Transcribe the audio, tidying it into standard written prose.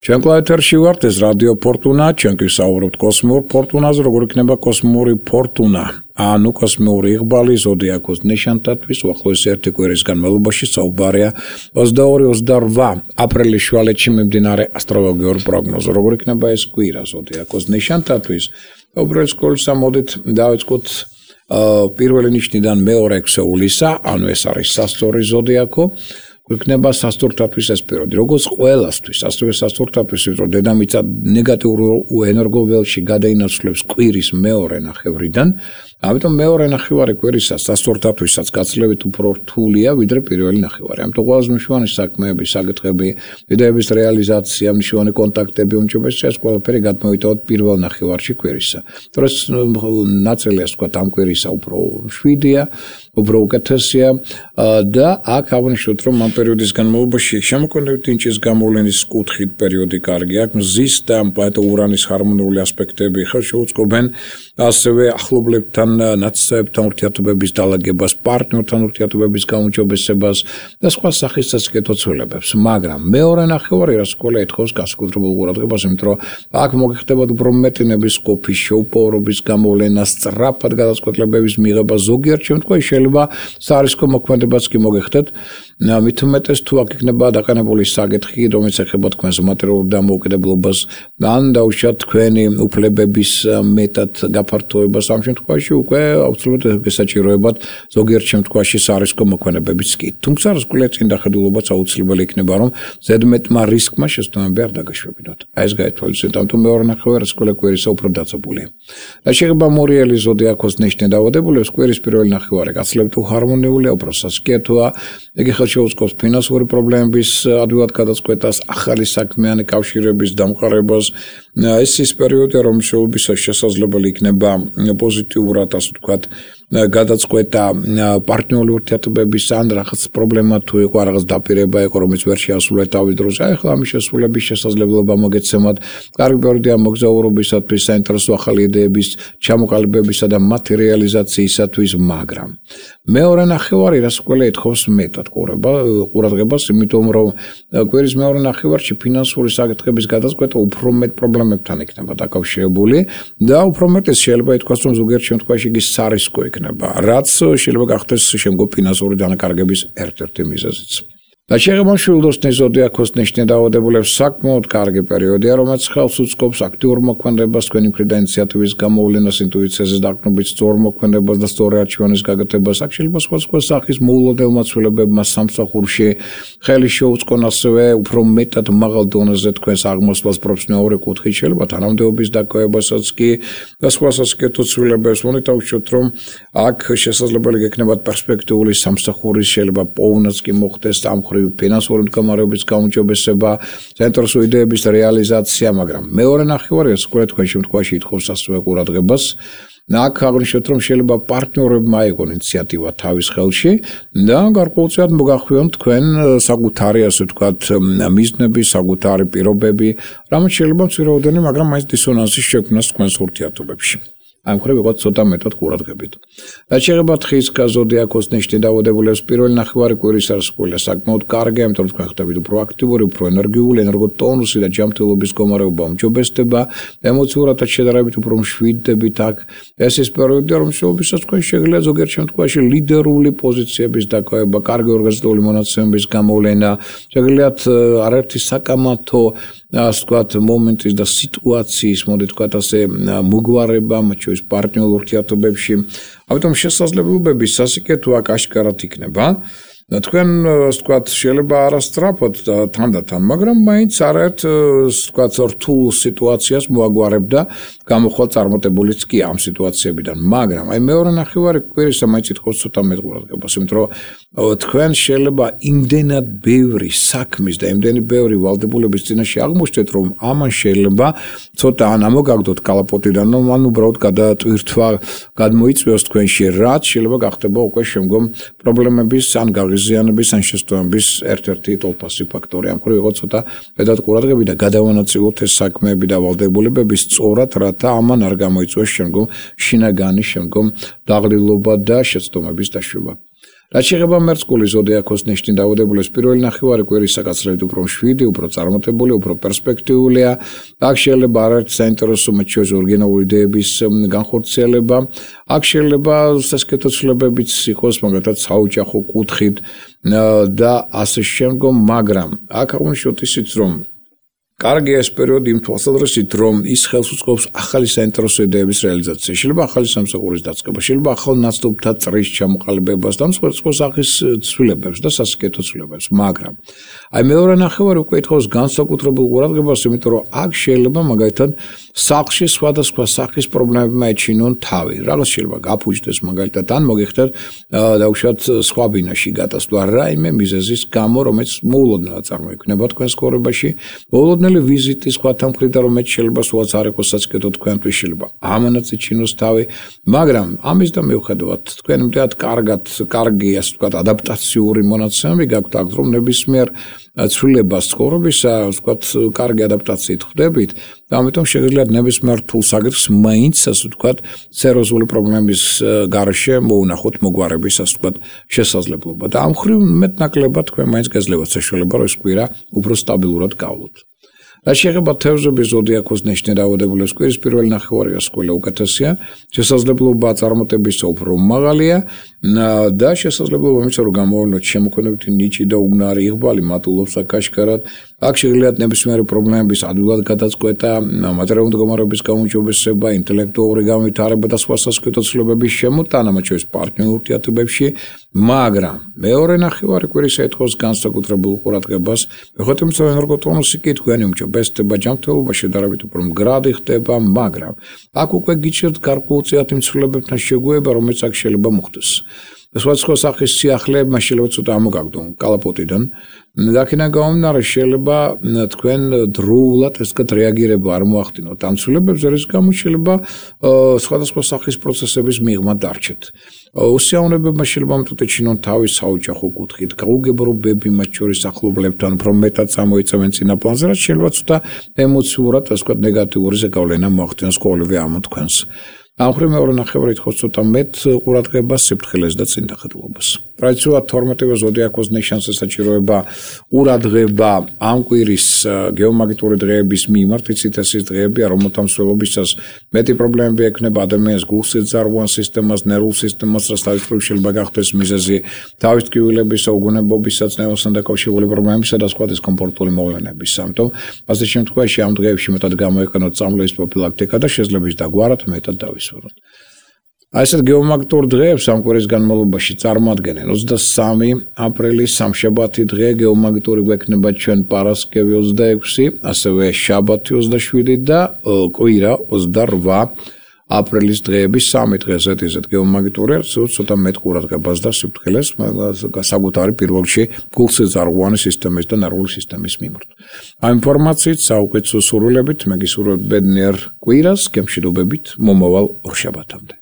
Ჩვენ კლავეთერში ვართ, ეს რადიო ფორტუნა, ჩვენ კი ვსაუბრობთ კოსმიურ ფორტუნაზე, როგორ იქნება კოსმიური ფორტუნა, ანუ კოსმიური იղბალი ზოდიაქოს ნიშანთათვის უახლოესი ერთი კვირის განმავლობაში საუბარია 22-28 აპრილის შუალედში მიმდინარე ასტროლოგიურ პროგნოზზე, როგორ იქნება ეს კვირა ზოდიაქოს ნიშანთათვის. უბრალოდ სკოლისა მოდით დავიწყოთ პირველი ნიშნიდან მეორე ექვსეულისა, ანუ ეს არის სასტორი ზოდიაქო. იქნება სასტურთათვის ეს პერიოდი, როგორც ყველასთვის, ასევე სასტურთათვის, რომ დედამიწა ნეგატიურ ენერგოველში გადაინაცვლებს კვირის მეორე ნახევრიდან, ამიტომ მეორე ნახევარი კვირისა სასტურთათვისაც გაცილებით უფრო რთულია, ვიდრე პირველი ნახევარი. ამიტომ ყველაზე მნიშვნელოვანი საქმეები, საკითხები, იდეების რეალიზაცია, მნიშვნელოვანი კონტაქტები, უმჯობესია ეს ყველაფერი გადმოვიტანოთ პირველ ნახევარში კვირისა. თორეს ნაწილი ასე ვთქვათ, ამ კვირისა უფრო მშვიდია, უფრო უკეთესია და აქ აღნიშნოთ, რომ ამ პერიოდის განმავლობაში შემოქმედებითი ნიჭის გამოვლენის კუთხით პერიოდი კარგი აქვს, მზის და პლანეტა ურანის ჰარმონიული ასპექტები ხელს შეუწყობენ ასევე ახლობლებთან ნაცნობებთან ურთიერთობების დალაგებას, პარტნიორთან ურთიერთობების გაუმჯობესებას და სხვა სახის საკითხო ცვლილებებს. მაგრამ მეორე ნახევარი რაც ყველა ეთხოვს განსაკუთრებულ ყურადღებას, იმიტომ რომ აქ მოგიხდებათ უფრო მეტი ნების ყოფის, შეუპოვრობის გამოვლენა, სწრაფად გადაწყვეტილებების მიღება, ზოგიერთ შემთხვევაში შეიძლება საარისკო მოქმედებაც კი მოგიხდეთ. მით უმეტეს თუ აქ იქნება დაყენებული საკითხი, რომელიც ეხება თქვენს მატერიალურ დამოუკიდებლობას, ან დაუშვათ თქვენი უფლებების მეტად გაფართოებას, ამ შემთხვევაში უკვე აუცილებლად გესაჭიროებათ ზოგიერთ შემთხვევაში საარისკო მოქმედებებიც კი. თუმცა რასკვლელის დახედულობაც აუცილებელი იქნება, რომ ზედმეტმა რისკმა შესაბამისად არ დაგაშვებინოთ. აი ეს გაითვალისწინოთ, ამიტომ მეორე ნახევარი რასკვლელის კვირისა უფრო დაწებულია. და შეიძლება მორიელი ზოდიაქოს ნიშნე დაავადებულებს კვირის პირველი ნახევარი გაცილებით უჰარმონიულია, უფრო სასქეთოა, იგი ხელს შეუწყობს ფინანსური პრობლემების ადვილად გადაწყვეტას, ახალი საქმიანი კავშირების დამყარებას. ეს ის პერიოდია, რომელშიც შესაძლებელი იქნება პოზიტიურად, ასე ვთქვათ, გადაწყვეტა პარტნიორული ურთიერთობების ან რაღაც პრობლემა თუ იყო, რაღაც დაპირება იყო, რომელიც ვერ შეასრულეთ თავის დროზე. ახლა ამის შესრულების შესაძლებლობა მოგეცემათ. კარგი პერიოდია მოგზაურობისათვის, საინტერესო ახალი იდეების ჩამოყალიბებისა და მათი რეალიზაციისათვის, მაგრამ მეორე ნახევარი რას ყველა ეთხოვს მეტად ყურადღებას, იმიტომ რომ კვირის მეორე ნახევარში ფინანსური საკითხების გადაწყვეტა უფრო მეტ პრობლემებთან იქნება დაკავშირებული და უფრო მეტად შეიძლება ითქვას, რომ ზოგიერთ შემთხვევაში იგი სარისკო იქნება, რაც შეიძლება გახდეს შემდგომ ფინანსური დანაკარგების ერთ-ერთი მიზეზიც. და შეიძლება მშვილდოსნის ზოდიაქოს ნიშნე დაავადებულებს საკმაოდ კარგი პერიოდია, რომელიც ხელს უწყობს აქტიურ მოქმედებას, თქვენი მხრიდან ინიციატივის გამოვლენას, ინტუიციაზე დაყრდნობით, სწორ მოქმედებას და სწორი არჩევანის გაკეთებას. აქ შეიძლება სხვადასხვა სახის მოულოდნელმა ცვლილებებმა სამსახურში ხელი შეუწყონ, ასევე უფრო მეტად მაღალ დონეზე თქვენს აღმოსვლას პროფესიონალური კუთხით, შეიძლება თანამდებობის დაკავებასაც კი და სხვა სასაკეთო ცვლილებებს. მონით დავუშვათ, რომ აქ შესაძლებელი გექნებათ პერსპექტიული სამსახურის შეიძლება პოვნაც კი მოხდეს ამ ფინანსური მდგომარეობის გაუმჯობესება, საინტერესო იდეების რეალიზაცია, მაგრამ მეორე ნახევარი სკოლა თქვენ შემთხვევაში ითხოვს ასევე ყურადღებას. აქ აღნიშნოთ, რომ შეიძლება პარტნიორებმა აიღონ ინიციატივა თავის ხელში და გარკვეულწილად მოგახვიონ თქვენ საკუთარი, ასე ვთქვათ, მიზნები, საკუთარი პირობები, რამაც შეიძლება მცირეოდენი, მაგრამ მაინც დისონანსის შექმნას თქვენს ურთიერთობებში. ამ ხრივ ვიყოთ ცოტა მეტად ყურადღებით. და შეიძლება თხის ზოდიაქოს ნიშნე დაავადებულებს პირველი ნახევარი კვირის არასკვლელი საკმაოდ კარგია, იმიტომ რომ თქვენ ხდებით უფრო აქტიური, უფრო ენერგიული, ენერგოტონუსი და ჯანმრთელობის მდგომარეობა უმჯობესდება, ემოციურადაც შედარებით უფრო მშვიდდებით აქ. ეს ის პერიოდია, რომელშიც თქვენ შეგიძლიათ ზოგიერთ შემთხვევაში ლიდერული პოზიციების დაკავება, კარგი ორგანიზებული მონაცემების გამოვლენა, შეგიძლიათ არაერთი საკამათო, ასე ვთქვათ, მომენტის და სიტუაციის, მოდით ვთქვათ ასე, მოგვარება, მათ შორის პარტნიორულ ურთიერთობებში. ამიტომ შესაძლებლობები სასიკეთო აქ აშკარად იქნება. თქვენ, ასე ვთქვათ, შეიძლება არასწრაფოდ თანდათან, მაგრამ მაინც არაერთ, ასე ვთქვათ, რთულ სიტუაციას მოაგვარებდა გამოხვალ წარმატებულიც კი ამ სიტუაციებიდან. მაგრამ აი მეორე ნახევარი კვირისა მაინც ითხოვს ცოტა მეტ ყურადღებას, იმიტომ რომ თქვენ შეიძლება იმდენად ბევრი საქმის და იმდენი ბევრი ვალდებულების წინაშე აღმოჩნდეთ, რომ ამან შეიძლება ცოტა ან ამოგაგდოთ კალაპოტიდან, ან უბრალოდ გადატვირთვა გადმოიწვიოს თქვენში, რაც შეიძლება გახდება უკვე შემდგომ პრობლემების ან გაღიზიანების ან შესტოების ერთ-ერთი ტოლფასი ფაქტორი. ამ ხრივ იყო ცოტა მეტად ყურადღები და გადავანაწილოთ ეს საქმეები და ვალდებულებები სწორად, რათა ამან არ გამოიწვიოს შემდგომ შინაგანი, შემდგომ დაღლილობა და შეცდომების დაშვება. რაც შეეხება მერწყული ზოდიაქოს ნიშნის დაავადებულებს პირველი ნახევარი კვირის საკაცრებით უფრო მშვიდი, უფრო წარმატებული, უფრო პერსპექტიულია. აქ შეიძლება არაერთი საინტერესო მათ შორის ორიგინალური იდეების განხორციელება. აქ შეიძლება სასკეთო ცვლილებებიც იყოს, მაგალითად საოჯახო კუთხით და ასე შემდგომ, მაგრამ აქ აღნიშნოთ ისიც, რომ კარგია ეს პერიოდი იმ თვალსაზრისით, რომ ის ხელს უწყობს ახალი საინტერესო იდეების რეალიზაციას. შეიძლება ახალი სამსახურის დაწყება, შეიძლება ახალ ნაცნობთა წრის ჩამოყალიბებას და სხვა სახის ცვლილებებს და სასიკეთო ცვლილებებს, მაგრამ აი მეორე ნახევარი უკვე ითხოვს განსაკუთრებულ ყურადღებას, იმიტომ რომ აქ შეიძლება მაგალითად სახლში სხვადასხვა სახის პრობლემებმა ეჩინონ თავი. რაღაც შეიძლება გაფუჭდეს მაგალითად ან მოგიხდეთ დაუშვათ სხვა ბინაში გადასვლა რაიმე მიზეზის გამო, რომელიც მოულოდნელად წარმოიქმნება თქვენს ცხოვრებაში. მოულოდნელი ვიზიტი სხვათა მხრიდან, რომელიც შეიძლება სულაც არ იყოს სასიკეთო თქვენთვის, შეიძლება ამანაც ეჩინოს თავი, მაგრამ ამის და მიუხედავად თქვენ იმდენად კარგი ასე ვთქვათ ადაპტაციური მონაცემები გაქვთ აქ, რომ ნებისმიერ ცვლილებას ცხოვრებისა, ვთქვათ, კარგი ადაპტაციით ხდებით და ამიტომ შეგიძლიათ ნებისმიერ რთულ საკითხს მაინც ასე ვთქვათ სერიოზული პრობლემის გარეშე მოუნახოთ მოგვარების ასე ვთქვათ შესაძლებლობა და ამ ხრივ მეტნაკლებად თქვენ მაინც გეძლებათ საშუალება, რომ ეს კვირა უფრო სტაბილურად გავლოთ. რაც შეეხება თევზების ზოდიაქოს ნიშნის დაავადებულებს კვირის პირველი ნახევარი ასკოლა უკეთესია, შესაძლებლობა წარმატებისა უფრო მაღალია და შესაძლებლობა იმისა, რომ გამოავლინოთ შემოქმედებითი ნიჭი და უნარი იღბალი მატულობს აკაშკარად. აქ შეგიძლიათ ნებისმიერი პრობლემების ადვილად გადაწყვეტა, მატერიალური მდგომარეობის გაუმჯობესება, ინტელექტუალური განვითარება და სხვა სასკეთო ცვლილებების შემოტანა, მათ შორის პარტნიორულ ურთიერთობებში, მაგრამ მეორე ნახევარი კვირისა ეთხოვს განსაკუთრებულ ყურადღებას, მიუხედავად იმისა, რომ ენერგოტონუსი კი თქვენი უმჯობესდება ჯანმრთელობა შედარებით უფრო მდგრადი ხდება, მაგრამ აქ უკვე გიჩერდ გარკვეულწილად იმ ცვლილებებთან შეგუება, რომელიც აქ შეიძლება მოხდეს. სხვადასხვა სახის სიახლეებმა შეიძლება ცოტა ამოგაგდონ კალაპოტიდან. აქედან გამომდინარე შეიძლება თქვენ დროულად ეს რეაგირება არ მოახდინოთ ამ ცვლილებებზე, რის გამოც შეიძლება სხვადასხვა სახის პროცესების მიღმა დარჩეთ. უსიამოვნებებმა შეიძლება ამიტომ ეჩინონ თავი საოჯახო კუთხით, გაუგებრობები მათ შორის ახლობლებთან, უფრო მეტად წამოიწევენ წინა პლანზე, რაც შეიძლება ცოტა ემოციურად, ასე ვთქვათ, ნეგატიური ზეგავლენა მოახდინოს ყოველივე ამ თქვენს. ამ ხრივ მეორე ნახევარი ითხოვს ცოტა მეტ ყურადღებას, სიფრთხილეს და წინდახედულობას. ტრადიციულად 12-ვე ზოდიაქოს ნიშანს ესაჭიროება ყურადღება ამ კვირის გეომაგნიტური დღეების მიმართ, იცით ეს ის დღეებია, რომელთა მსვლელობისას მეტი პრობლემები ექნება ადამიანს გულსიძარღვან სისტემას, ნერვულ სისტემას, რაც თავის მხრივ შეიძლება გახდეს მიზეზი თავის ტკივილებისა, უგონებობისა, წნევასთან დაკავშირებული პრობლემებისა და სხვა დისკომფორტული მოვლენების. ამიტომ ასე შემთხვევაში ამ დღეებში მეტად გამოიყენოთ წამლების პროფილაქტიკა და შესაძლოა დაგვარად მეტად დავისვენოთ. აი ესეთ გეომაგნიტურ დღეებს ამ კვირის განმავლობაში წარმოადგენენ 23 აპრილი სამშაბათი დღე გეომაგნიტური გვექნება ჩვენ პარასკევი 26, ასევე შაბათი 27 და კვირა 28 აპრილის დღეების 3 დღეს ესეთ გეომაგნიტური ცოტა მეტ ყურადღებას და სიფრთხილეს საკუთარი პირველ რიგში გულსიძარღვანი სისტემის და ნერვული სისტემის მიმართ. ამ ინფორმაციით საუკეთესო სურვილებით მე გისურვებთ ბედნიერ კვირას, გემშვიდობებით მომავალ ორშაბათამდე.